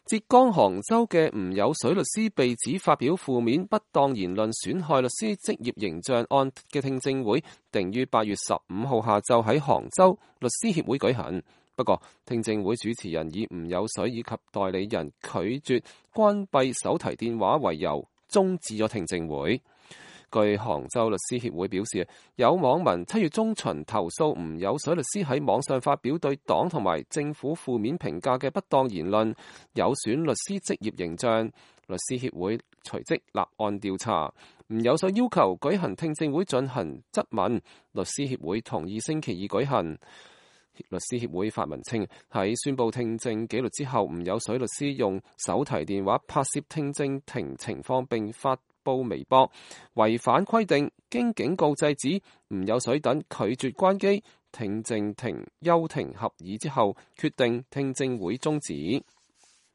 浙江杭州嘅吳有水律師被指發表負面不當言論，損害律師職業形象案嘅聽證會定於8月15號下晝喺杭州律師協會舉行。不過，聽證會主持人以吳有水以及代理人拒絕關閉手提電話為由，終止咗聽證會。據杭州律師協會表示，有網民7月中旬投訴吳有水律師喺網上發表對黨同埋政府負面評價嘅不當言論，有損律師職業形象。律師協會隨即立案調查。吳有水要求舉行聽證會進行質問，律師協會同意星期二舉行。律師協會發文稱，喺宣布聽證紀律之後，吳有水律師用手提電話拍攝聽證庭情況並發布微博，違反規定，經警告制止，吳有水等拒絕關機，聽證庭休庭合議之後，決定聽證會終止。